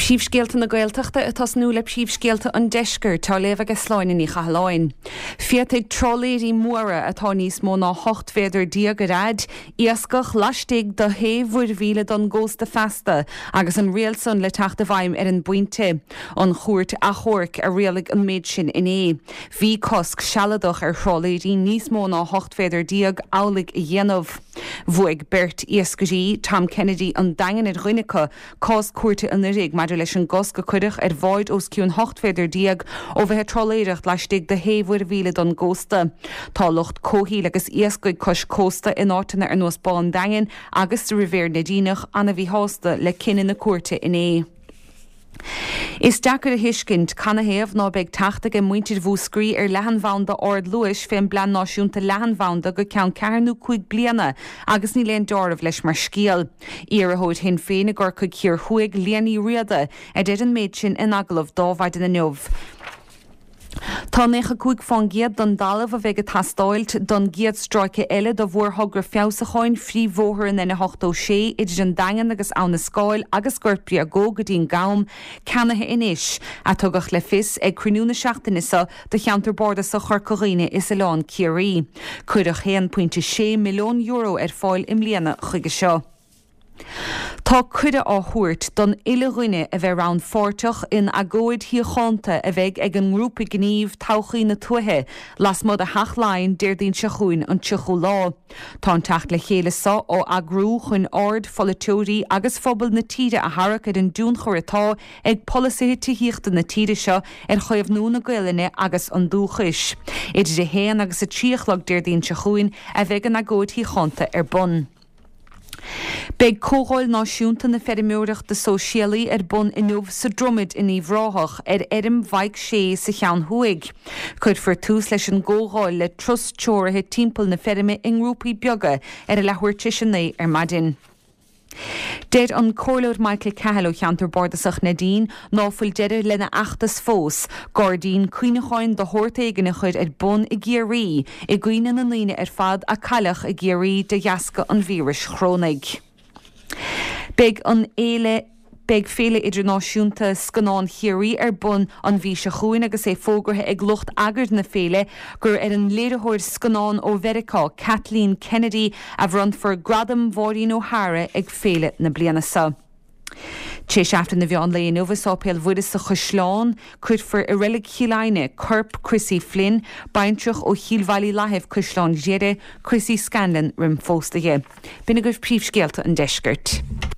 Príomhscéalta na Gaeltachta ag tosnú le príomhscéalta an Deiscirt, á léamh aige Sláine Ní Chathalláin. Féadfaidh trálaeirí móra atá níos mó ná 18 mhéadar ar fhaid, iascach laistigh de shé mhuirmhíle don gcósta feasta agus an riail san le teacht i bhfeidhm ar an bpointe. An Chúirt Achomhairc a rialaigh an méid sin inné. Bhí cosc sealadach ar thrálaeirí níos mó ná 18 mhéadar amhlaidh a dhéanamh. Bhuaigh beirt iascairí, Tom Kennedy an Daingin ar dhuine acu, cás cúirte anuraidh maidir leis an gcosc a cuireadh ar bháid os cionn 18 mhéadar ó bheith ag trálaeireacht laistigh de shé mhuirmhíle don gcósta. Tá lucht comhshaoil agus iascaigh cois cósta in áiteanna ar nós Bá an Daingin agus sa Ribhéar Neidíneach ana-mhíshásta le cinneadh na cúirte inné. Is deacair a thuiscint canathaobh ná beidh teacht aige muintir Mhúscraí ar leathanbhanda ard-luais fén bPlean Náisiúnta Leathanbhanda go ceann ceathair nó cúig bliana agus níl aon deáramh leis mar scéal. Iarrthóir Shinn Féin i gCorcaigh Thiar Thuaidh, Liadh Ní Riada, a deir an méid sin in agallamh d'Adhmhaidin inniu. Tá 95 fán gcéad don dtalamh a bheidh ag teastáilt don gcéad stráice eile do mhórthogra feabhsúcháin phríomhbhóthar an N86 idir an Daingean agus Abha na Scáil agus Gort Bréagóg go dtí an gCam ceannaithe anois, a tugadh le fios ag cruinniú na seachtaine seo do cheantar bardasach Chorca Dhuibhne is Oileán Ciarraí. Cuireadh €1.6 milliún ar fáil i mbliana chuige seo. Tá cuireadh á thabhairt don uile dhuine a bheith rannpháirteach in agóid shíochánta a bheidh ag an ngrúpa gnímh Todhchaí na Tuaithe lasmuigh de Theach Laighean Déardaoin seo chugainn an 30ú lá. Tá an teacht le chéile seo á eagrú chun aird pholaiteoirí agus phobal na tíre a tharrac ar an dtionchar atá ag polasaithe tithíochta na tíre seo ar chaomhnú na Gaolainne agus an dúchais. Idir 1 agus 3 a chlog Déardaoin seo chugainn a bheidh an agóid shíochánta ar bun. Beidh Comhdháil Náisiúnta na Feirmeoireachta Sóisialaí ar bun inniu sa Dromaid in Uíbh Ráthach, ar fheirm Mhaidhc Sé sa Cheann Thuaidh. Cuirfear tús leis an gcomhdháil le turas treoraithe timpeall na feirme i ngrúpaí beaga ar a leathuair tar éis a 9 ar maidin. Deir an Comhairleoir Michael Cahill ó cheantar bardasach Neidín ná fuil deireadh lena fheachtas fós, gairdín cuimhneacháin de shórt éigin a chur ar bun i gCiarraí i gcuimhne na ndaoine ar fad a cailleadh i gCiarraí de dheasca an víris chorónaigh. Beidh an fhéile Beidh Féile Idirnáisiúnta Scannán Chiarraí ar bun an mhí seo chugainn agus é fógraithe ag lucht eagair na féile gur ar an léiritheoir scannán ó Mheiriceá, Kathleen Kennedy, a bhronnfar Gradam Mháirín O'Hara ag féile na bliana seo. Tar éis Aifreann an mheán lae inniu i Sáipéal Mhuire sa Chaisleán, cuirfear i Reilig Chill Aidhne corp Chrissy Flynn, baintreach ó Chill Bhaile Fhlaithimh, Caisleán Ghriaire, Chrissy Scanlon roim phósadh di. B'in agaibh príomhscéalta an deiscirt.